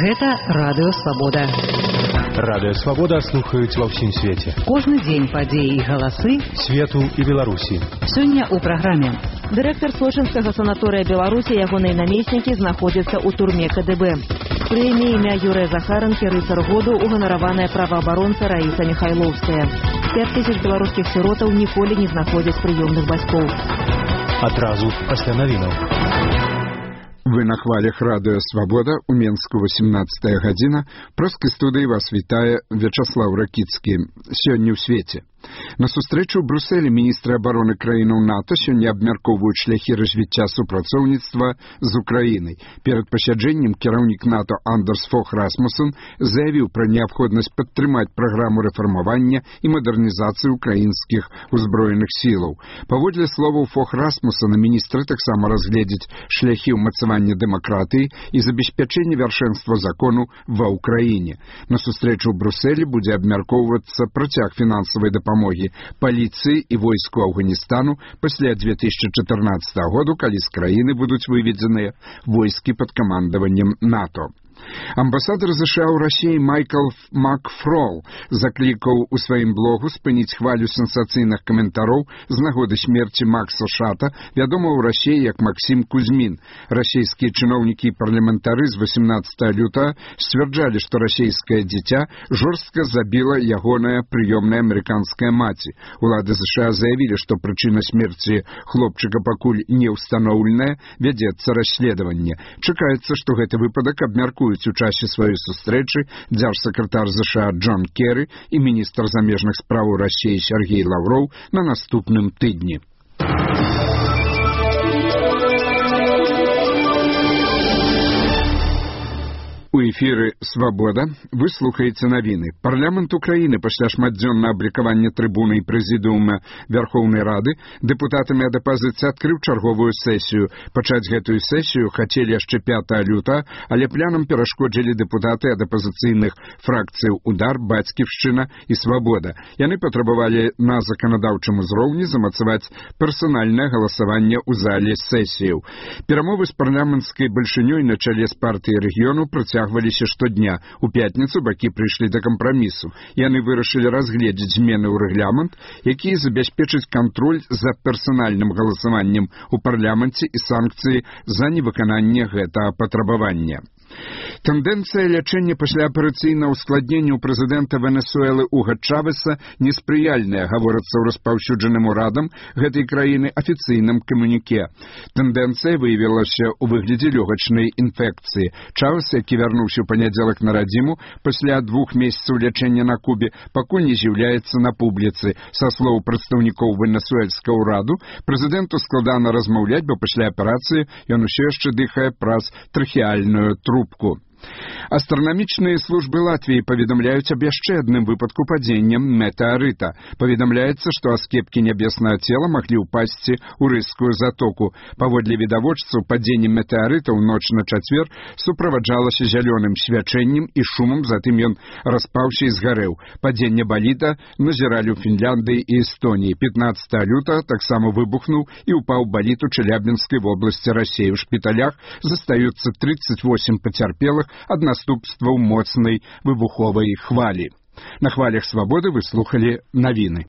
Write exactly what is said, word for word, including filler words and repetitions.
Гэта Радыё Свабода. Радыё Свабода слухаюць ва ўсім свеце. Кожны дзень падзеі і галасы свету і Беларусі. Сёння ў праграме. Дырэктар Сочынскага санаторыя Беларусі і ягоныя намеснікі знаходзяцца ў турме ка дэ бэ. Прэмія імя Юрыя Захаранкі «Рыцар году» уганараваная праваабаронца Раіса Міхайлоўская. пяць тысяч беларускіх сіротаў ніколі не знаходзяць прыёмных бацькоў. Адразу пасля навінаў. Вы на хвалях Радыё Свабода, у Менску восемнадцатая гадзіна. Проскай студыі вас вітае Вячаслаў Ракіцкі. Сёння ў свеце. На сустрэчу ў Брусэлі міністры абароны краінаў НАТО сёння абмяркоўваюць шляхі развіцця супрацоўніцтва з Украінай. Перад пасяджэннем кіраўнік НАТО Андерс Фог Расмуссен заявіў пра неабходнасць падтрымаць праграму рэфармавання і мадэрнізацыі украінскіх узброеных сілаў. Паводле словаў Фог Расмуссена, міністры таксама разгледзяць шляхі ўмацавання дэмакратыі і забеспячэння вяршэнства закону ва Ўкраіне. На сустрэчу ў Брусэлі будзе абмяркоўвацца працяг фінансавай дапамогі паліцыі і войску Афганістану пасля две тысячы чатырнаццатага году, калі з краіны будуць выведзеныя войскі пад камандаваннем НАТО. Амбасадар ЗША ў Расіі Майкл Макфрол заклікаў у сваім блогу спыніць хвалю сенсацыйных каментароў з нагоды смерці Макса Шата, вядомага ў Расіі як Максім Кузьмін. Расійскія чыноўнікі і парламентары з восемнадцатага лютага сцвярджалі, што расійскае дзіця жорстка забіла ягоная прыёмная амерыканская маці. Улады ЗША заявілі, што прычына смерці хлопчыка пакуль не ўстаноўленая, вядзецца расследаванне. Чакаецца, што гэты выпадак абмяркуецца у часе сваёй сустрэчы дзяржсакратар ЗША Джон Керры і міністр замежных спраў Расіі Сергей Лаўроў на наступным тыдні. У эфіры «Свабода» вы слухаеце навіны. Парламент Украіны пасля шматдзённага абракавання трыбуны і прэзідыума Вярхоўнай Рады дэпутатамі ад апазіцыі адкрыў чарговую сесію. Пачаць гэтую сесію хацелі яшчэ пятага лютага, але плянам перашкодзілі дэпутаты ад апазіцыйных фракцыяў «Удар», «Бацьківшчына» і «Свабода». Яны патрабавалі на заканадаўчым узроўні замацаваць персанальнае галасаванне ў зале сесіяў. Перамовы з парламенцкай бальшынёй на чале з партыяй рэгіёну працягваліся штодня. У пятніцу бакі прыйшлі да кампрамісу. Яны вырашылі разгледзець змены ў рэгламент, якія забяспечаць кантроль за персанальным галасаваннем у парламенце і санкцыі за невыкананне гэтага патрабавання. Тэндэнцыя лячэння пасляапарацыйнага ускладнення ў прэзідэнта Венесуэлы Уга Чавеса неспрыяльная, гаворыцца ў распаўсюджаным урадам гэтай краіны афіцыйным камюніке. Тэндэнцыя выявілася ў выглядзе лёгачнай інфекцыі. Чавес, які вярнуўся ў панядзелак на радзіму пасля двух месяцаў лячэння на Кубе, пакуль не з'яўляецца на публіцы. Са слоў прадстаўнікоў венесуэльскага ўраду, прэзідэнту складана размаўляць, бо пасля аперацыі ён усё яшчэ дыхае праз трахеальную трубку. Астранамічныя службы Латвіі паведамляюць аб яшчэ адным выпадку падзення метэарыта. Паведамляецца, што аскепкі нябеснага цела маглі ўпасці ў Рыжскую затоку. Паводле відавочцаў, падзенне метэарыта ў ноч на чацвер суправаджалася зялёным свячэннем і шумам, затым ён распаўся і згарэў. Падзенне баліда назіралі ў Фінляндыі і Эстоніі. пятнаццатага лютага таксама выбухнуў і ўпаў балід у Челябінскай вобласці Расіі. У шпіталях застаюцца тридцать восемь пацярпелых ад наступстваў моцнай выбуховай хвалі. На хвалях Свабоды вы слухалі навіны.